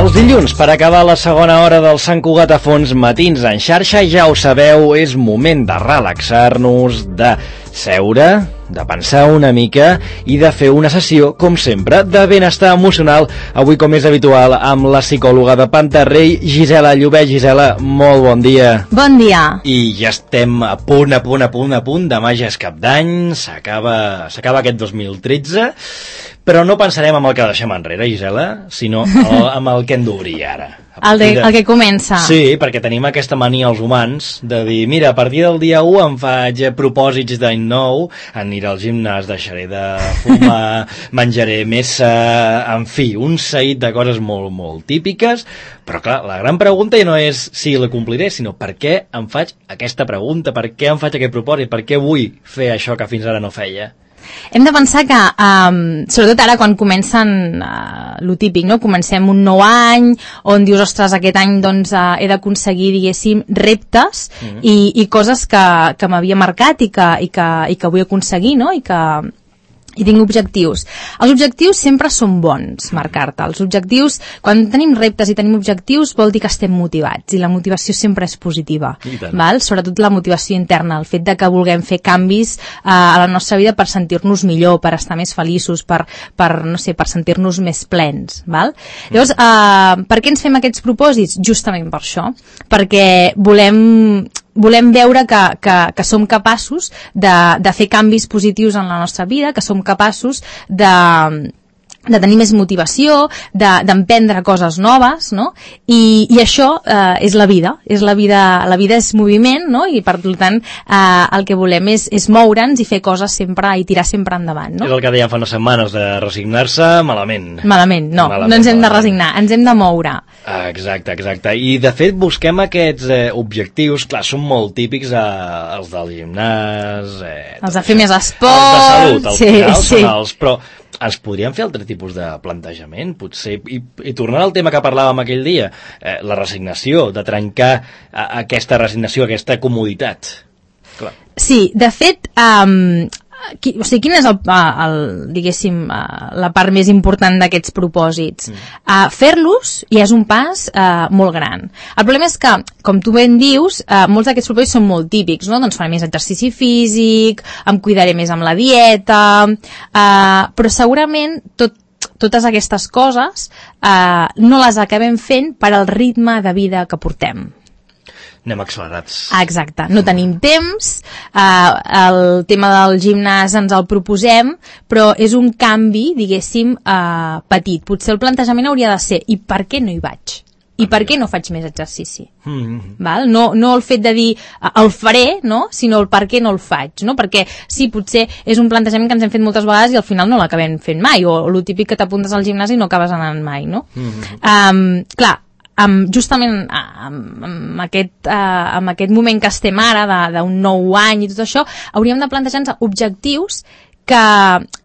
Els dilluns, per acabar la segona hora del Sant Cugat a Fons, matins en xarxa, ja ho sabeu, és moment de relaxar-nos, de seure, de pensar una mica i de fer una sessió, com sempre, de benestar emocional. Avui, com és habitual, amb la psicòloga de Pantarrey, Gisela Llobet. Gisela, molt bon dia. Bon dia. I ja estem a punt. Demà ja és cap d'any, s'acaba aquest 2013, però no pensarem en el que deixem enrere, Gisela, sinó amb el que hem d'obrir ara. El que comença. Sí, perquè tenim aquesta mania els humans de dir, mira, a partir del dia 1 em faig propòsits d'any nou, aniré al gimnàs, deixaré de fumar, menjaré més, en fi, un seguit de coses molt, molt típiques, però clar, la gran pregunta ja no és si la compliré, sinó per què em faig aquesta pregunta, per què em faig aquest propòsit, per què vull fer això que fins ara no feia. Hem de pensar que, sobretot ara quan comencen lo típic, no? Comencem un nou any on dius, ostres, aquest any doncs, he d'aconseguir, diguéssim, reptes i coses que m'havia marcat i que vull aconseguir, no? I tinc objectius. Els objectius sempre són bons, marcar-te. Els objectius, quan tenim reptes i tenim objectius, vol dir que estem motivats, i la motivació sempre és positiva. Val? Sobretot la motivació interna, el fet de que vulguem fer canvis a la nostra vida per sentir-nos millor, per estar més feliços, per sentir-nos més plens. Val? Llavors, per què ens fem aquests propòsits? Justament per això. Perquè volem veure que som capaços de fer canvis positius en la nostra vida, que som capaços de tenir més motivació, d'emprendre coses noves, no? I això és la vida. La vida és moviment, no? I per tant el que volem és moure'ns i fer coses sempre i tirar sempre endavant, no? És el que dèiem fa unes setmanes, de resignar-se malament. Malament, no ens hem de resignar, ens hem de moure. Exacte. I de fet busquem aquests objectius, clar, són molt típics els del gimnàs, els de fer més esport, els de salut, al final sí. Són els, però ens podríem fer altre tipus de plantejament, potser, i tornant al tema que parlàvem aquell dia, la resignació, de trencar aquesta resignació, aquesta comoditat. Clar. Sí, de fet, quina és diguéssim, la part més important d'aquests propòsits? Fer-los ja és un pas molt gran. El problema és que, com tu ben dius, molts d'aquests propòsits són molt típics, no? Doncs faré més exercici físic, em cuidaré més amb la dieta, però segurament totes aquestes coses no les acabem fent per al ritme de vida que portem. Anem accelerats. Exacte, no tenim temps, el tema del gimnàs ens el proposem, però és un canvi, diguéssim, petit. Potser el plantejament hauria de ser, i per què no hi vaig? I per què no faig més exercici? Val? No el fet de dir el faré, no? Sinó el per què no el faig, no? Perquè sí, potser és un plantejament que ens hem fet moltes vegades i al final no l'acabem fent mai, o el típic que t'apuntes al gimnàs i no acabes anant mai, no? Clar, justament amb aquest moment que estem ara d'un nou any i tot això, hauríem de plantejar-nos objectius que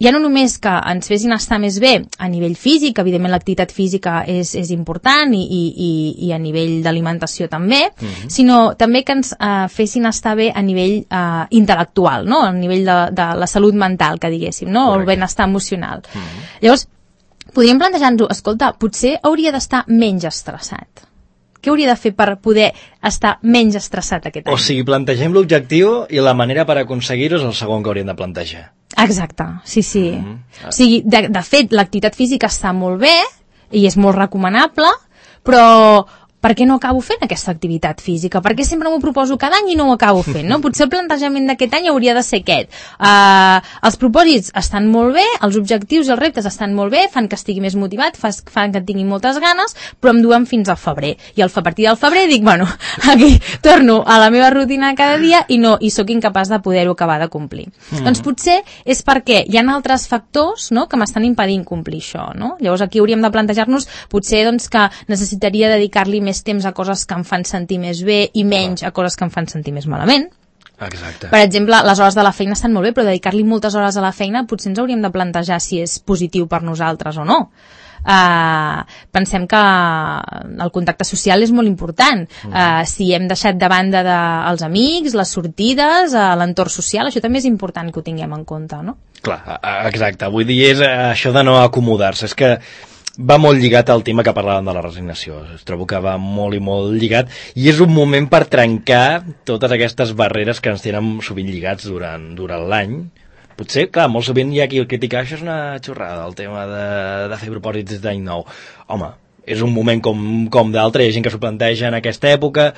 ja no només que ens fessin estar més bé a nivell físic, evidentment l'activitat física és important i a nivell d'alimentació també, sinó també que ens fessin estar bé a nivell intel·lectual, no? A nivell de la salut mental, que diguéssim, no? O el benestar emocional. Llavors, podríem plantejar-nos, escolta, potser hauria d'estar menys estressat. Què hauria de fer per poder estar menys estressat aquest any? O sigui, plantegem l'objectiu i la manera per aconseguir-ho és el segon que hauríem de plantejar. Exacte, sí. O sigui, de fet, l'activitat física està molt bé i és molt recomanable, però per què no acabo fent aquesta activitat física? Per què sempre m'ho proposo cada any i no ho acabo fent? No? Potser el plantejament d'aquest any hauria de ser aquest. Els propòsits estan molt bé, els objectius i els reptes estan molt bé, fan que estigui més motivat, fan que tingui moltes ganes, però em duen fins al febrer. I a partir del febrer dic, bueno, aquí torno a la meva rutina cada dia i sóc incapaç de poder-ho acabar de complir. Doncs potser és perquè hi ha altres factors, no?, que m'estan impedint complir això, no? Llavors aquí hauríem de plantejar-nos potser doncs, que necessitaria dedicar-li més temps a coses que em fan sentir més bé i menys a coses que em fan sentir més malament. Exacte. Per exemple, les hores de la feina estan molt bé, però dedicar-li moltes hores a la feina potser ens hauríem de plantejar si és positiu per nosaltres o no. Pensem que el contacte social és molt important. Si hem deixat de banda els amics, les sortides, l'entorn social, això també és important que ho tinguem en compte, no? Clar, exacte. Vull dir, és això de no acomodar-se. És que va molt lligat al tema que parlàvem de la resignació. Trobo que va molt i molt lligat i és un moment per trencar totes aquestes barreres que ens tenen sovint lligats durant l'any. Potser, clar, molt sovint hi ha qui el critica, això és una xorrada, el tema de fer propòsits d'any nou. Home, és un moment com d'altre, hi ha gent que s'ho planteja en aquesta època,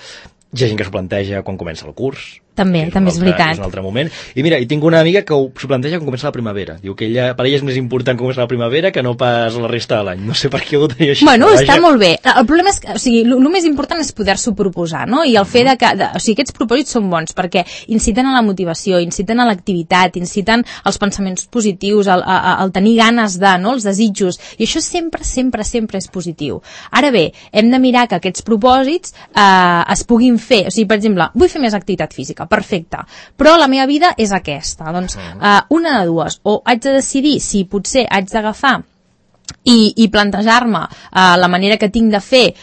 hi ha gent que s'ho planteja quan comença el curs. També és veritat. És un altre moment. I mira, tinc una amiga que s'ho planteja quan comença la primavera. Diu que per ella és més important començar la primavera que no pas la resta de l'any. No sé per què ho tenia així. Bueno, està molt bé. El problema és que, o sigui, el més important és poder-s'ho proposar, no? I el fet que, o sigui, aquests propòsits són bons perquè inciten a la motivació, inciten a l'activitat, inciten als pensaments positius, al tenir ganes de, no? Els desitjos. I això sempre és positiu. Ara bé, hem de mirar que aquests propòsits es puguin fer. O sigui, per exemple, vull fer més activitat física. Perfecte, però la meva vida és aquesta, doncs una de dues, o haig de decidir si potser haig d'agafar i plantejar-me la manera que tinc de fer,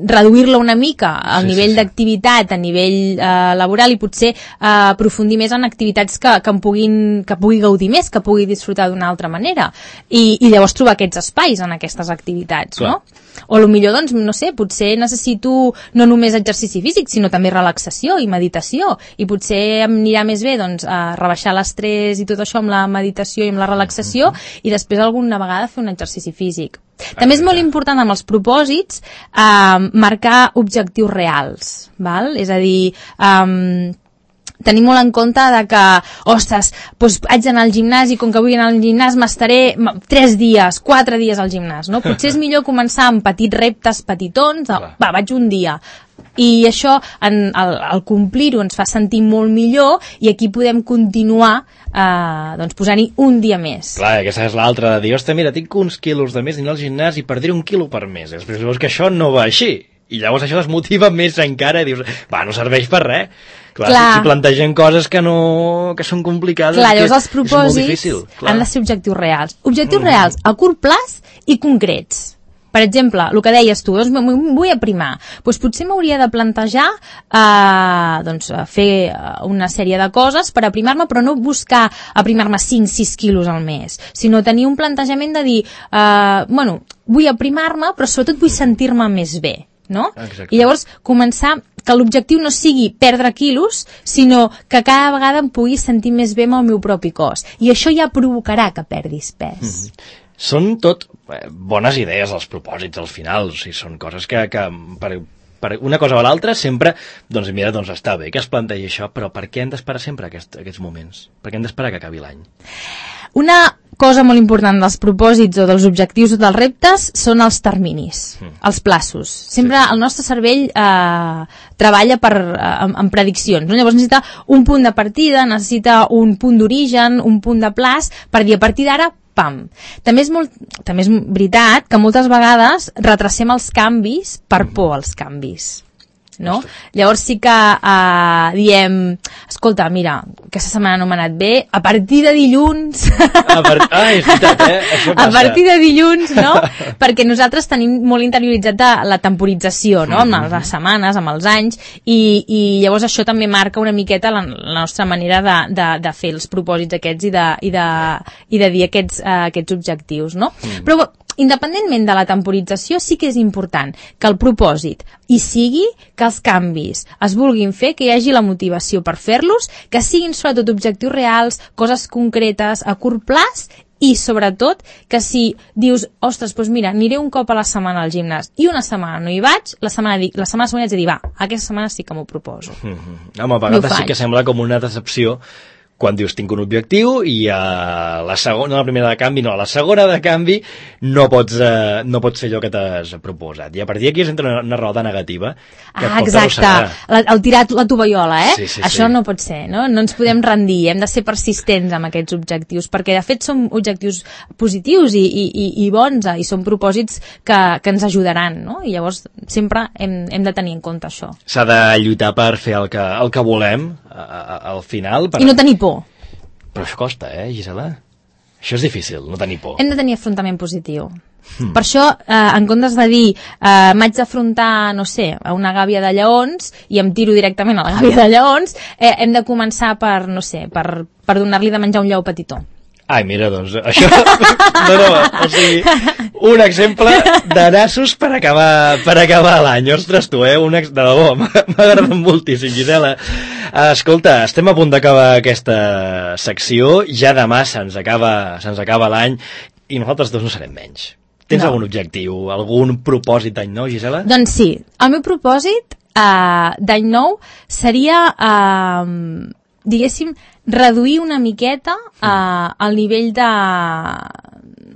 reduir-la una mica al nivell d'activitat, a nivell laboral, i potser aprofundir més en activitats que pugui gaudir més, que pugui disfrutar d'una altra manera, i llavors trobar aquests espais en aquestes activitats, no? O potser, doncs, no sé, potser necessito no només exercici físic, sinó també relaxació i meditació, i potser em anirà més bé, doncs, rebaixar l'estrès i tot això amb la meditació i amb la relaxació, i després alguna vegada fer un exercici físic. També és molt important amb els propòsits marcar objectius reals, val? És a dir, tenir molt en compte de que, ostres, doncs haig d'anar al gimnàs i com que vull anar al gimnàs m'estaré 3 dies, 4 dies al gimnàs, no? Potser és millor començar amb petits reptes petitons, vaig un dia. I això, al complir-ho, ens fa sentir molt millor i aquí podem continuar doncs posant-hi un dia més. Clar, aquesta és l'altra de dir, ostres, mira, tinc uns quilos de més d'anar al gimnàs i perdré 1 quilo per mes. Després veus que això no va així. I llavors això desmotiva més encara i dius, no serveix per res. Clar. Si plantegen coses que són complicades, llavors els propòsits han de ser objectius reals. Objectius reals a curt plaç i concrets. Per exemple, el que deies tu, doncs vull aprimar. Doncs potser m'hauria de plantejar fer una sèrie de coses per aprimar-me, però no buscar aprimar-me 5-6 quilos al mes, sinó tenir un plantejament de dir, vull aprimar-me, però sobretot vull sentir-me més bé. No? Exacte. I llavors començar que l'objectiu no sigui perdre quilos, sinó que cada vegada em pugui sentir més bé amb el meu propi cos. I això ja provocarà que perdis pes. Són tot bones idees els propòsits al final, o sigui, són coses que per una cosa o l'altra sempre, doncs mira, doncs està bé que es plantegi això, però per què hem d'esperar sempre aquests moments? Per què hem d'esperar que acabi l'any? Una cosa molt important dels propòsits o dels objectius o dels reptes són els terminis, els plaços. Sempre el nostre cervell treballa en prediccions, no? Llavors necessita un punt de partida, necessita un punt d'origen, un punt de plaç, per dir a partir d'ara, pam. També és veritat que moltes vegades retrasem els canvis per por als canvis. No? Llavors sí que diem, escolta, mira, aquesta setmana no m'ha anat bé, a partir de dilluns és veritat, això passa. A partir de dilluns, no? Perquè nosaltres tenim molt interioritzat la temporització, no? Amb les setmanes, amb els anys, i llavors això també marca una miqueta la nostra manera de fer els propòsits aquests i de dir aquests objectius, no? Però independentment de la temporització, sí que és important que el propòsit hi sigui, que els canvis es vulguin fer, que hi hagi la motivació per fer-los, que siguin sobretot objectius reals, coses concretes a curt plaç, i sobretot que si dius, ostres, doncs mira, aniré un cop a la setmana al gimnàs i una setmana no hi vaig, la setmana següent haig de dir, aquesta setmana sí que m'ho proposo. Home, a vegades sí que sembla com una decepció quan dius tinc un objectiu i a la segona, a la primera de canvi, no, a la segona de canvi no pots fer allò que t'has proposat. I a partir d'aquí entra una roda negativa que et pot arrossegar. El tirar la tovallola, Això no pot ser, no? No ens podem rendir, hem de ser persistents amb aquests objectius, perquè de fet són objectius positius i bons, i són propòsits que ens ajudaran, no? I llavors sempre hem de tenir en compte això. S'ha de lluitar per fer el que volem al final. I no tenir por. Però això costa, Gisela? Això és difícil, no tenir por. Hem de tenir afrontament positiu. Per això, en comptes de dir m'haig d'afrontar, no sé, a una gàbia de lleons i em tiro directament a la gàbia de lleons, hem de començar per, no sé, per donar-li de menjar un lleó petitó. Ai, mira, doncs, això... No, o sigui, un exemple de nassos per acabar l'any. Ostres, tu, de debò, m'ha agradat moltíssim, Gisela. Escolta, estem a punt d'acabar aquesta secció, ja demà se'ns acaba l'any i nosaltres dos no serem menys. Tens algun objectiu, algun propòsit d'any nou, Gisela? Doncs sí, el meu propòsit d'any nou seria, diguéssim, reduir una miqueta el nivell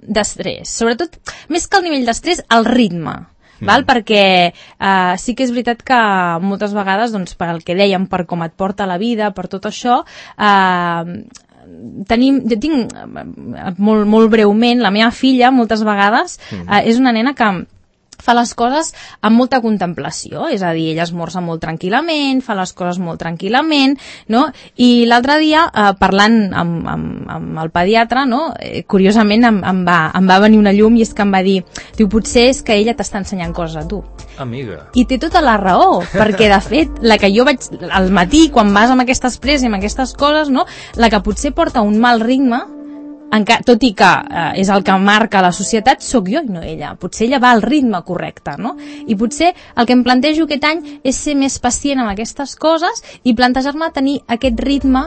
d'estrès. Sobretot, més que el nivell d'estrès, el ritme. Val? Perquè sí que és veritat que moltes vegades, doncs, per el que dèiem, per com et porta la vida, per tot això, jo tinc molt breument, la meva filla moltes vegades és una nena que fa les coses amb molta contemplació, és a dir, ella esmorza molt tranquil·lament, fa les coses molt tranquil·lament, no? I l'altre dia, parlant amb el pediatre, no? Curiosament em va venir una llum i és que em va dir, potser és que ella t'està ensenyant coses a tu. Amiga. I té tota la raó, perquè de fet, la que jo vaig al matí, quan vas amb aquestes presses i amb aquestes coses, no? La que potser porta un mal ritme, tot i que és el que marca la societat, sóc jo i no ella. Potser ella va al ritme correcte, no? I potser el que em plantejo aquest any és ser més pacient amb aquestes coses i plantejar-me tenir aquest ritme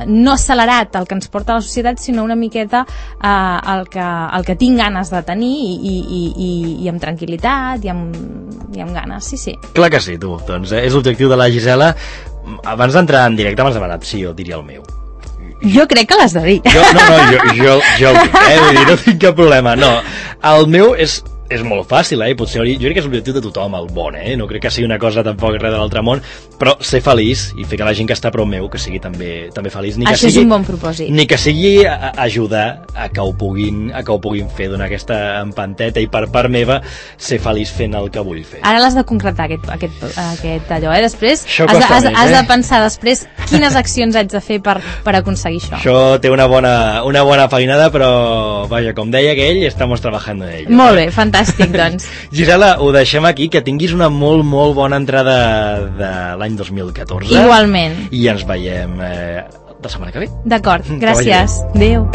no accelerat el que ens porta la societat, sinó una miqueta el que tinc ganes de tenir i amb tranquil·litat i amb ganes, sí. Clar que sí, tu. Doncs és l'objectiu de la Gisela. Abans d'entrar en directe m'has demanat si jo diria el meu. Jo crec que l'has de dir. Jo el dic, vull dir, no tinc cap problema. No, el meu és molt fàcil, potser jo crec que és l'objectiu de tothom, el bon, no crec que sigui una cosa tampoc res de l'altre món, però ser feliç i fer que la gent que està prop meu que sigui també feliç. Això és un bon propòsit. Ni que sigui ajudar a que ho puguin fer, donar aquesta empanteta i per part meva ser feliç fent el que vull fer. Ara l'has de concretar aquest allò, Després has de pensar després quines accions haig de fer per aconseguir això. Això té una bona feinada, però vaja, com deia aquell, estamos trabajando en ello. Molt bé, fantàstic. Doncs. Gisela, ho deixem aquí, que tinguis una molt, molt bona entrada de l'any 2014. Igualment. I ens veiem la setmana que ve. D'acord, gràcies. Adéu.